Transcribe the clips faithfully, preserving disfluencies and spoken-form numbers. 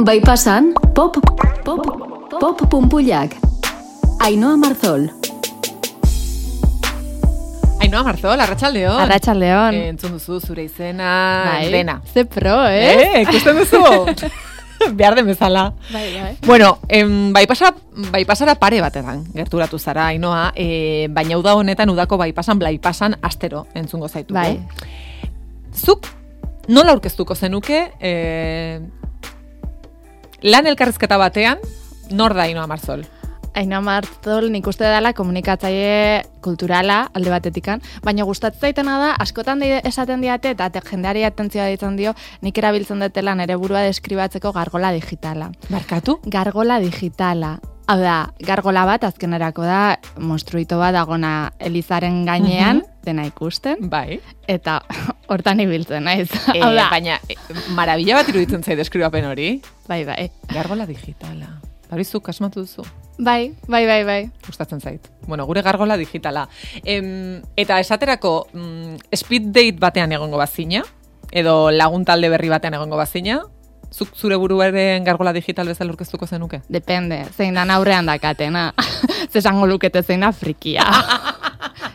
Bai pasan, pop, pop, pop punpullak. Ainhoa Marzol. Ainhoa Marzol, arratsaldeon. Arratsaldeon. Eh, entzun duzu zure izena, bai. dena. Ze pro, eh? Eh, ikusten duzu? Behar den bezala. Bai, bai. Bueno, em, bai, pasara, bai pasara pare batetan gerturatu zara, Ainhoa, eh, baina uda honetan udako bai pasan, blai pasan astero entzungo zaitu. Bai. Zuk nola aurkeztuko zenuke eh, lan elkarrizketa batean, nor da Ainhoa Marzol? Ainhoa Marzol nik uste dela komunikatzaile kulturala alde batetikan, baina gustatzen zaitena da, askotan de esaten diate eta jendeari atentzioa ditzen dio, nik erabiltzen dutela nere burua deskribatzeko gargola digitala. Barkatu? Gargola digitala. Hau da, gargola bat azkenerako da, monstruito bat dagona Elizaren gainean, uh-huh. dena ikusten. Bai. Eta hortan ibiltzen, naiz. E, Hau da. Baina, e, marabila bat iruditzen zait deskribapen hori. Bai, bai. Gargola digitala. Hori zuk asmatu duzu. Bai, bai, bai, bai. Gustatzen zait. Bueno, gure gargola digitala. Em, eta esaterako, mm, speed date batean egongo bazina, edo lagun talde berri batean egongo bazina, zuk zure buruaren gargola digital bezala aurkeztuko zenuke? Depende, zein dan aurrean dakatena. Zesango lukete zein da frikia.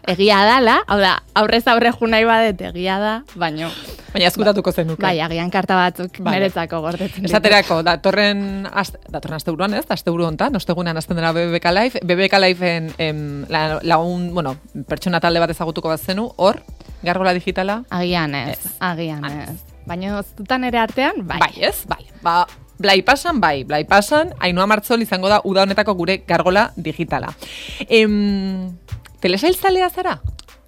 Egia dala, hau da, aurrez aurre ju nahi badet egia da, baino. Baina ezkutatuko zenuke. Bai, agian karta batzuk Vale. Meretzako gordetzen ditu. Esaterako, datorren, ast, datorren asteburuan ez, asteburu hontan, ostegunean hasten dela B B K Live, B B K Liveen em, la, lagun, bueno, pertsona talde bat ezagutuko bat zenu, hor, gargola digitala? Agian ez, Ez. agian Ez. ez. Baina zutan ere artean, bai. Bai, ez? Bai. Ba, blai pasan, bai, blai pasan, Ainhoa Marzol izango da uda honetako gure gargola digitala. Em, telesailzalea zara?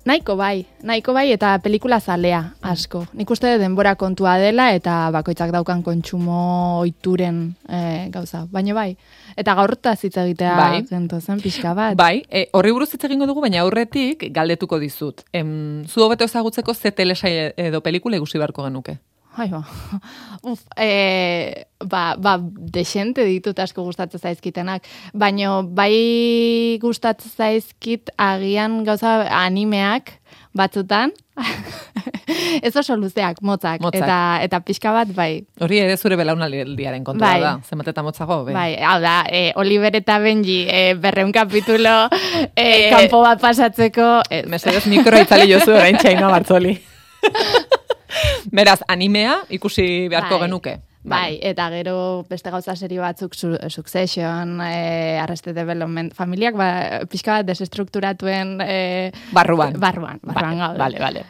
Nahiko bai, nahiko bai eta pelikula zalea asko. Nik uste denbora kontua dela eta bakoitzak daukan kontsumo ohituren e, gauza. Baina bai, eta gaurtaz hitz egitea Bai. gentozen pixka bat. Bai, e, horri buruz hitz egingo dugu, baina aurretik galdetuko dizut. Em, zu hobeto ezagutzeko ze telesail edo pelikula ikusi beharko genuke? Ai, ba. Uf, e, ba, ba, desente ditut asko gustatzen zaizkitenak, baino bai gustatzen zaizkit agian gauza animeak batzutan, ez oso luzeak, motzak, Motzak. eta eta pixka bat, bai. Hori ere zure belaunaldiaren kontua Bai. da, zenbat eta motzago, be. Bai, hau da, e, Oliver eta Benji e, berreun kapitulo e, Eh, kanpo bat pasatzeko, ez. Mesedez mikroa itzali jozu orain Ainhoa Marzoli. Beraz, animea ikusi beharko Bai. genuke. Bai, eta gero beste gauza serio batzuk, su, Succession, eh, Arrested Development, familiak ba, pixka bat desestrukturatuen eh, Barruan. barruan, barruan Vale, gaude. vale, vale.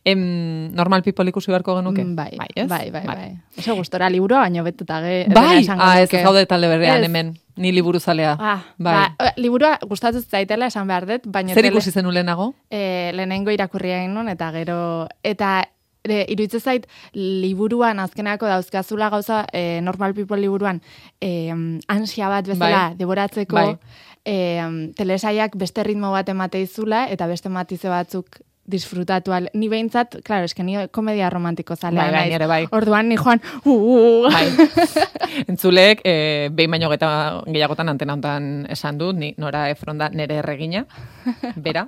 Em, normal people ikusi beharko genuke? Mm, Bai, bai, ez? bai, bai, Vale. bai. Oso gustora liburua, baino betuta ge. Bai, esango ah, ez nuke. gaude talde berrean Ez. hemen, ni liburuzalea. Ah, bai. ba, liburua gustatzen zaitela esan behar dut, baina Zer ikusi zenu lehenago? E, lehenengo irakurria egin nun, eta gero, eta e, iruditzen zait, liburuan azkenako dauzkazula gauza, e, Normal People liburuan, e, ansia bat bezala, Bai. devoratzeko, Bai. e, telesaiak beste ritmo bat emateizula, eta beste matize batzuk disfrutatu al. Ni behintzat, claro, eske ni komedia romantiko zalea Bai, bai, naiz. nire bai. Orduan ni joan, uh, uh. Bai. Entzuleek, eh, behin baino geta gehiagotan antena hontan esan dut, ni Nora Efron da nere erregina, bera.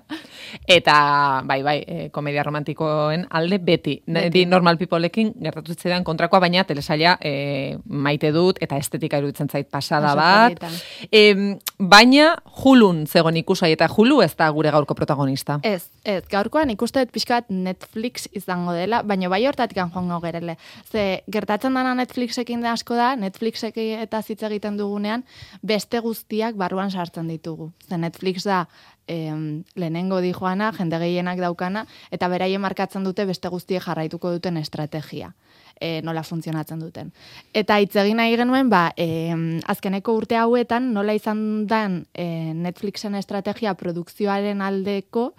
Eta, bai, bai, eh, komedia romantikoen alde beti. Beti. Di Normal Peopleekin gertatu zitzaidan kontrakoa, baina telesaila eh, maite dut, eta estetika iruditzen zait pasada Oso bat. polita. Em, baina Hulun zegoen ikusai, eta Hulu ez da gure gaurko protagonista. Ez, ez, gaurkoan ikuste dut pixka bat Netflix izango dela, baina bai hortatik joango gerele. Ze, gertatzen dana Netflixekin da asko da, Netflixekin eta hitz egiten dugunean, beste guztiak barruan sartzen ditugu. Ze Netflix da, em, lehenengo di joana, jende gehienak daukana, eta beraien markatzen dute beste guztiek jarraituko duten estrategia. E, nola funtzionatzen duten. Eta hitz egin nahi genuen, ba, e, azkeneko urte hauetan nola izan dan e, Netflixen estrategia produkzioaren aldeko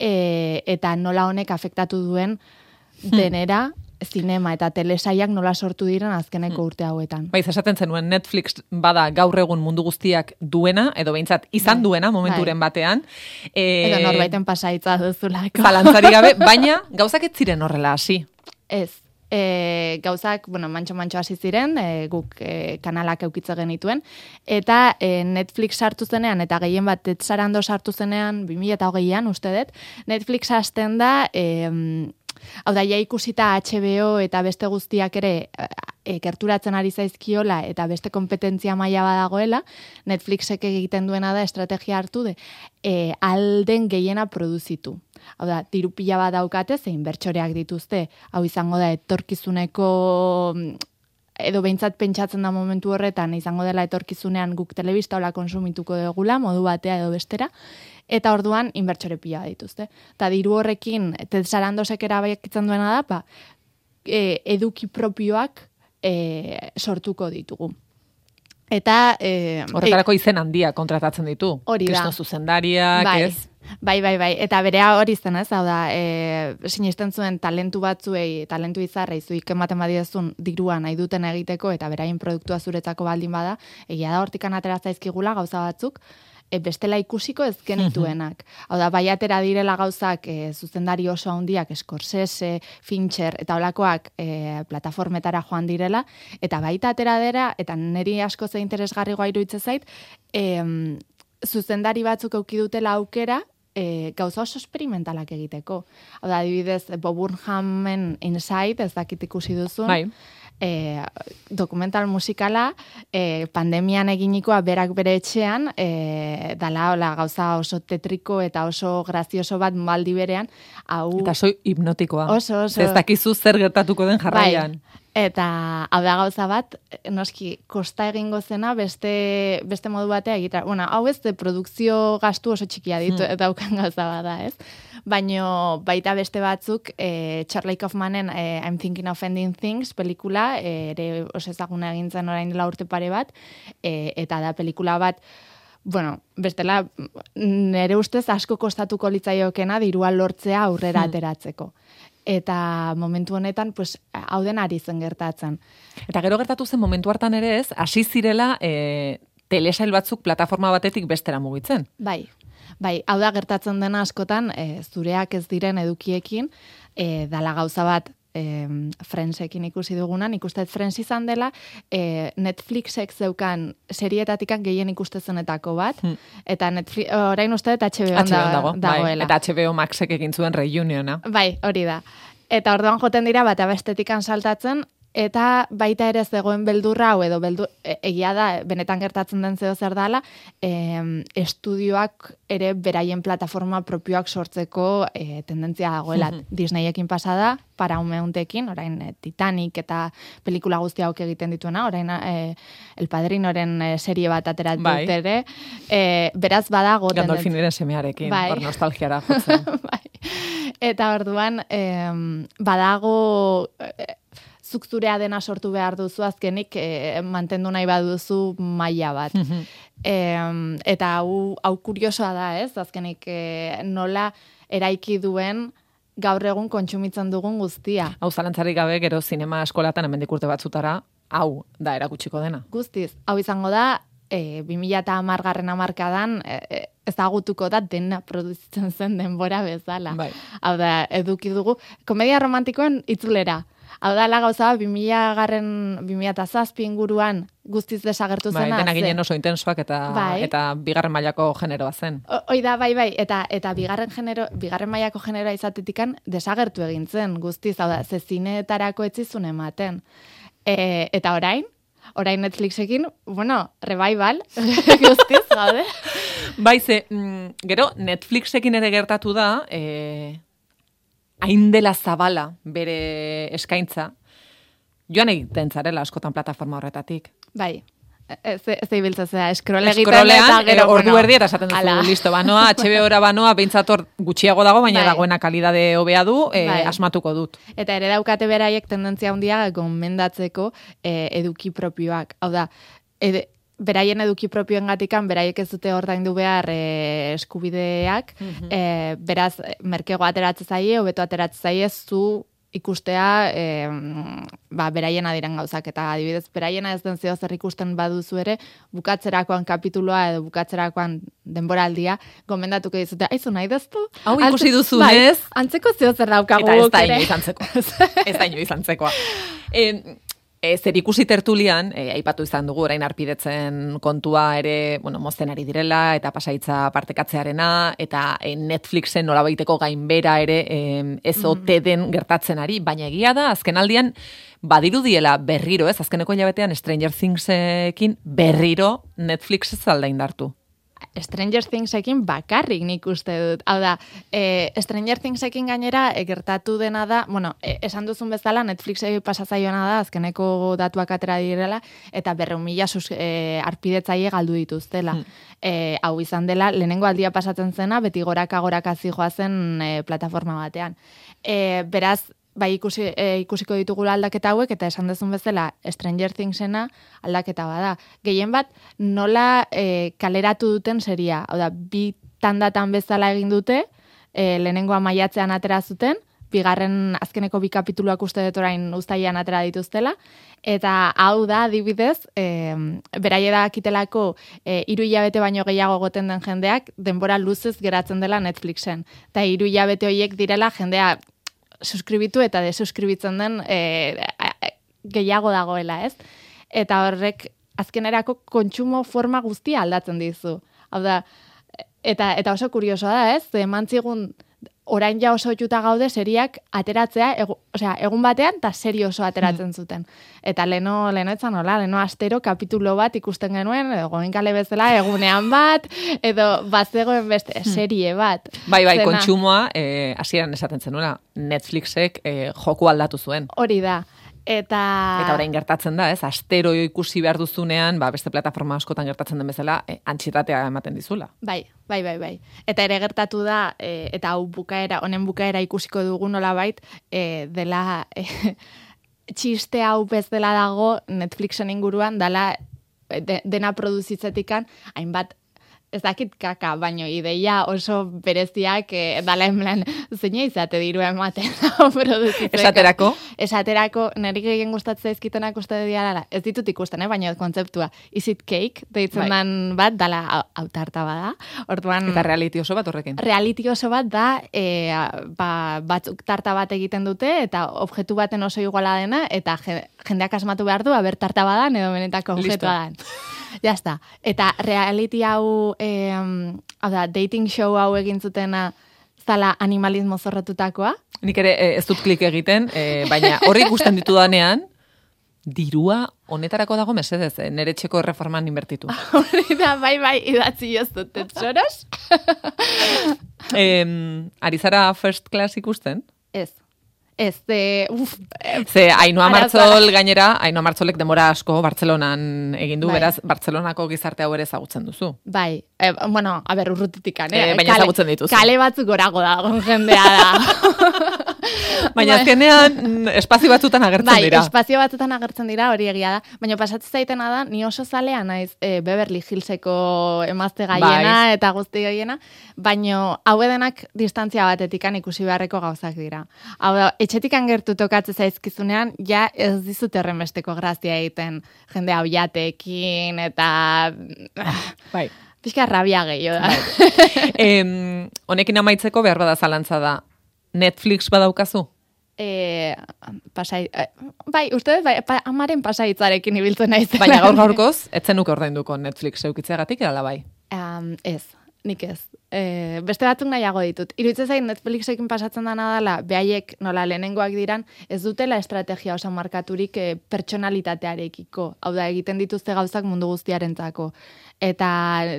e, eta nola honek afektatu duen denera zinema eta telesaiak nola sortu diren azkeneko urte hauetan. Bai, esaten zenuen Netflix bada gaur egun mundu guztiak duena, edo behintzat izan Bai. duena momenturen Bai. batean. E, Edo norbaiten pasaitza duzulako. Zalantzari gabe, baina gauzak ez ziren horrela hasi. Ez. e, gauzak, bueno, mantxo-mantxo hasi ziren, e, guk e, kanalak eukitze genituen, eta e, Netflix sartu zenean, eta gehien bat Ted Sarandos sartu zenean, bi mila hogeian, uste dut, Netflix hasten da, e, hau da, ja ikusita H B O eta beste guztiak ere e, gerturatzen ari zaizkiola eta beste kompetentzia maila badagoela, Netflixek egiten duena da estrategia hartu de e, alden gehiena produzitu. Hau da, diru pila bat daukate, zein bertsoreak dituzte, hau izango da etorkizuneko edo behintzat pentsatzen da momentu horretan, izango dela etorkizunean guk telebista hola konsumituko dugula, modu batea edo bestera, eta orduan inbertsore pila dituzte. Eta diru horrekin, Ted Sarandosek erabakitzen duena da, pa, e, eduki propioak e, sortuko ditugu. Eta... E, Horretarako izen handia kontratatzen ditu. Hori da. Kristo zuzendariak, bai. ez? Bai, bai, bai. Eta berea hori zen, ez? Hau da, e, sinisten zuen talentu batzuei, talentu izarrei, zuik ematen badiezun dirua nahi duten egiteko, eta beraien produktua zuretzako baldin bada, egia da hortikan atera zaizkigula gauza batzuk, e, bestela ikusiko ez genituenak. Hau da, bai atera direla gauzak e, zuzendari oso handiak, Scorsese, Fincher, eta holakoak e, plataformetara joan direla, eta baita atera dira, eta niri asko ze interesgarrigoa iruditzen zait, e, zuzendari batzuk auki dutela aukera, E, gauza oso experimentalak egiteko. Hau da, adibidez, Bob Burnhamen Inside, ez dakit ikusi duzun, bai. e, dokumental musikala, e, pandemian eginikoa berak bere etxean, e, dala hola, gauza oso tetriko eta oso grazioso bat maldi berean, hau... Eta oso hipnotikoa. Oso, oso. Ez dakizu zer gertatuko den jarraian. Bai. Eta hau da gauza bat, noski, kosta egingo zena beste, beste modu batea egitea. Bueno, hau ez de produkzio gastu oso txikia ditu, hmm. eta daukan gauza bada, ez? Baina baita beste batzuk, e, Charlie Kaufmanen e, I'm Thinking of Ending Things pelikula, e, ere oso ezaguna egin zen orain dela urte pare bat, e, eta da pelikula bat, bueno, bestela, nere ustez asko kostatuko litzaiokena dirua lortzea aurrera hmm. ateratzeko. Eta momentu honetan, pues, hau den ari zen gertatzen. Eta gero gertatu zen momentu hartan ere ez, hasi zirela e, telesail batzuk plataforma batetik bestera mugitzen. Bai, bai, hau da gertatzen dena askotan, e, zureak ez diren edukiekin, e, dala gauza bat, e, Friendsekin ikusi dugunan, ikustet Friends izan dela, e, Netflixek zeukan serietatikan gehien ikustezenetako bat, hmm. eta Netflix, orain uste dut H B O da, dago, dagoela. Bai, eta H B O Maxek egin zuen reuniona. Bai, hori da. Eta orduan joten dira bat abestetikan saltatzen, eta baita ere zegoen beldurra, hau edo beldur, e, egia da, benetan gertatzen den zeo zer dala, e, estudioak ere beraien plataforma propioak sortzeko e, tendentzia dagoela. Mm-hmm. Disneyekin pasada, Paramounttekin, orain e, Titanic eta pelikula guzti hauk egiten dituena, orain e, El Padrinoren e, serie bat aterat bai. dut ere, e, beraz badago tendentzia. Gandolfiniren semearekin, bai. hor nostalgiara jotzen. Bai. Eta orduan, e, badago... E, zuk zurea dena sortu behar duzu azkenik e, mantendu nahi baduzu maila bat. e, eta hau, hau kuriosoa da, ez? Azkenik e, nola eraiki duen gaur egun kontsumitzen dugun guztia. Hau zalantzarik gabe gero zinema eskolatan hemendik urte batzutara, hau da erakutsiko dena. Guztiz, hau izango da, e, bi mila hamargarren hamarkadan e, ezagutuko da dena produzitzen zen denbora bezala. Bai. Hau da, eduki dugu, komedia romantikoen itzulera. Hau da, la gauza, bi mila garren, bi mila zazpi inguruan guztiz desagertu bai, zena. Dena ginen oso intensoak eta, bai. eta bigarren mailako generoa zen. Hoi da, bai, bai, eta, eta bigarren, genero, bigarren mailako generoa izatetikan desagertu egin zen guztiz, hau da, ze zineetarako etzizun ematen. E, eta orain, orain Netflixekin, bueno, revival, guztiz, gaude. Bai, ze, mm, gero, Netflixekin ere gertatu da, e, hain dela zabala bere eskaintza, joan egiten zarela askotan plataforma horretatik. Bai, ez ibiltza zera, eskrole egiten Eskrolean, eta gero, e, ordu bueno, erdi eta esaten duzu, ala. listo, banoa, H B O-ra banoa, beintzator gutxiago dago, baina bai. dagoena kalidade hobea du, e, bai. asmatuko dut. Eta ere daukate beraiek tendentzia handia gomendatzeko e, eduki propioak. Hau da, ed, beraien eduki propioen gatikan, beraiek ez dute ordaindu behar e, eskubideak, mm-hmm. e, beraz, merkego ateratzen zaie, hobeto ateratzen zaie, zu ikustea e, ba, beraiena diren gauzak, eta adibidez, beraiena ez den zeo zer ikusten baduzu ere, bukatzerakoan kapituloa edo bukatzerakoan denboraldia, gomendatuko dizute, aizu nahi deztu? Hau ikusi duzu, bai, ez? Antzeko zeo zer daukagu eta ez da ere. inoiz antzeko. ez da inoiz antzekoa. E, E, zer ikusi tertulian, e, aipatu izan dugu, orain arpidetzen kontua ere, bueno, mozten ari direla, eta pasaitza partekatzearena, eta e, Netflixen nolabaiteko gainbera ere e, ez ote den gertatzen ari, baina egia da, azken aldian, badirudiela berriro, ez, azkeneko hilabetean Stranger Thingsekin berriro Netflix ez alda indartu. Stranger Thingsekin bakarrik nik uste dut. Hau da, e, Stranger Thingsekin gainera e, gertatu dena da, bueno, e, esan duzun bezala Netflixei pasatzaiona da, azkeneko datuak atera direla, eta berreun mila e, arpidetzaile galdu dituztela. Hmm. E, hau izan dela, lehenengo aldia pasatzen zena, beti goraka goraka zijoa zen e, plataforma batean. E, beraz, bai ikusi, e, ikusiko ditugula aldaketa hauek, eta esan dezun bezala Stranger Thingsena aldaketa bada. Gehien bat, nola e, kaleratu duten seria. Hau da, bi tandatan bezala egin dute, e, lehenengoa maiatzean atera zuten, bigarren azkeneko bi kapituluak uste dut orain uztailean atera dituztela, eta hau da, adibidez, e, beraie da kitelako e, hiru hilabete baino gehiago goten den jendeak, denbora luzez geratzen dela Netflixen. Eta hiru hilabete horiek direla jendea suskribitu eta desuskribitzen den e, gehiago dagoela, ez? Eta horrek azkenerako kontsumo forma guztia aldatzen dizu. Hau da, eta, eta oso kuriosoa da, ez? Emantzigun orain ja oso otuta gaude seriak ateratzea, egu, osea, egun batean eta serio oso ateratzen zuten. Eta leno, leno etzan hola, leno astero kapitulo bat ikusten genuen, edo goenkale bezala egunean bat, edo bazegoen beste serie bat. Bai, bai, Zena, kontsumoa, eh, hasieran esaten zenuela, Netflixek eh, joku aldatu zuen. Hori da. Eta... Eta orain gertatzen da, ez? Astero ikusi behar duzunean, ba, beste plataforma askotan gertatzen den bezala, eh, antxietatea ematen dizula. Bai, bai, bai, bai. Eta ere gertatu da, e, eta hau bukaera, honen bukaera ikusiko dugu nolabait, e, dela e, txiste hau bez dela dago Netflixen inguruan, dela de, dena produzitzetikan, hainbat ez dakit kaka, baino ideia oso bereziak e, dala enblan zeina izate diru ematen produzitzeka. Esaterako? Esaterako, niri gehien gustatzen ezkitenak uste diala, ez ditut ikusten, eh? Baina kontzeptua, is it cake, deitzen bai. dan bat, dala autarta bada. Orduan, eta reality oso bat horrekin. Reality oso bat da, e, ba, batzuk tarta bat egiten dute, eta objektu baten oso iguala dena, eta jendeak asmatu behar du, aber tarta badan, edo benetako objektu badan. Ja está. Eta reality hau, eh, hau da, dating show hau egin zutena zala animalismo zorrotutakoa. Nik ere eh, ez dut klik egiten, eh, baina horri ikusten ditudanean, dirua honetarako dago mesedez, eh, nere txeko erreforman inbertitu. Hori da, bai, bai, idatzi ez dut, tetsoros? eh, ari zara First Class ikusten? Ez. Ez, de, uf. Ze, Ainhoa Martzol gainera, Ainhoa Martzolek demora asko Bartzelonan egin du, bai. Beraz, Bartzelonako gizarte hau ere ezagutzen duzu. Bai, e, bueno, a ber, urrutitikan, eh? E, baina ezagutzen dituzu. Kale batzuk gorago dago jendea da. Baina azkenean espazio batzutan agertzen bai, dira. Bai, espazio batzutan agertzen dira, hori egia da. Baina pasatzen zaitena da, ni oso zalea naiz e, Beverly Hillseko emazte gaiena bai. eta guzti gaiena, baina hau edenak distantzia batetikan ikusi beharreko gauzak dira. Hau da, etxetikan gertu tokatze zaizkizunean, ja ez dizut errenbesteko grazia egiten jende hau jatekin, eta... Bai. Pixka rabia gehiago da. Bai. em, honekin amaitzeko behar bada zalantza da. Netflix badaukazu? E, pasai, e, bai, uste bai, pa, amaren pasaitzarekin ibiltzen naiz. Baina gaur gaurkoz, etzen ordainduko Netflix eukitzeagatik edala bai? Um, ez, nik ez. E, beste batzuk nahiago ditut. Iruditzen zain Netflixekin pasatzen dana dela, behaiek nola lehenengoak diran, ez dutela estrategia oso markaturik e, pertsonalitatearekiko. Hau da, egiten dituzte gauzak mundu guztiarentzako. Eta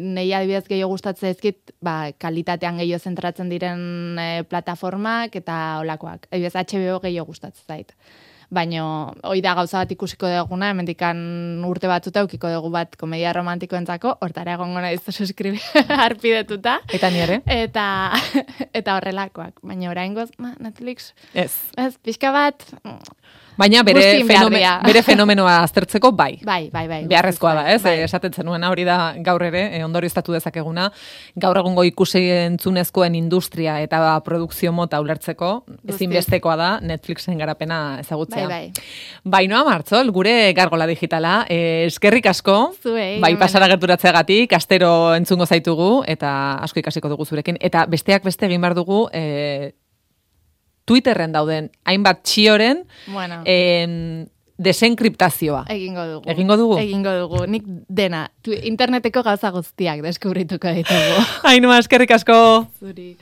nei adibidez gehiago gustatzen ezkit, ba, kalitatean gehiago zentratzen diren e, plataformak eta olakoak. Adibidez, H B O gehiago gustatzen zait. baino hoi da gauza bat ikusiko duguna, hemendikan urte batzuta ukiko dugu bat komedia romantikoentzako, hortara egongo naiz suskribi harpidetuta. Eta nire? Eta, eta horrelakoak. Baina oraingoz, Netflix, Ez. ez, pixka bat... Baina bere, Guztien fenome, beharria. bere fenomenoa aztertzeko bai. Bai, bai, bai. Beharrezkoa da, ez? Bai. E, esaten zenuena hori da gaur ere, e, ondorioztatu dezakeguna, gaur egungo ikusi entzunezkoen industria eta ba, produkzio mota ulertzeko, ezinbestekoa da Netflixen garapena ezagutzea. Bai, bai. Bainoa Martzol, gure gargola digitala, e, eskerrik asko, Zuei, bai hemen. pasara gerturatzeagatik, astero entzungo zaitugu, eta asko ikasiko dugu zurekin, eta besteak beste egin behar dugu, e, Twitterren dauden hainbat txioren Bueno. em, desenkriptazioa. Egingo dugu. Egingo dugu? Egingo dugu. Nik dena, tu, interneteko gauza guztiak deskubrituko ditugu. Ainhoa, eskerrik asko. Zuri.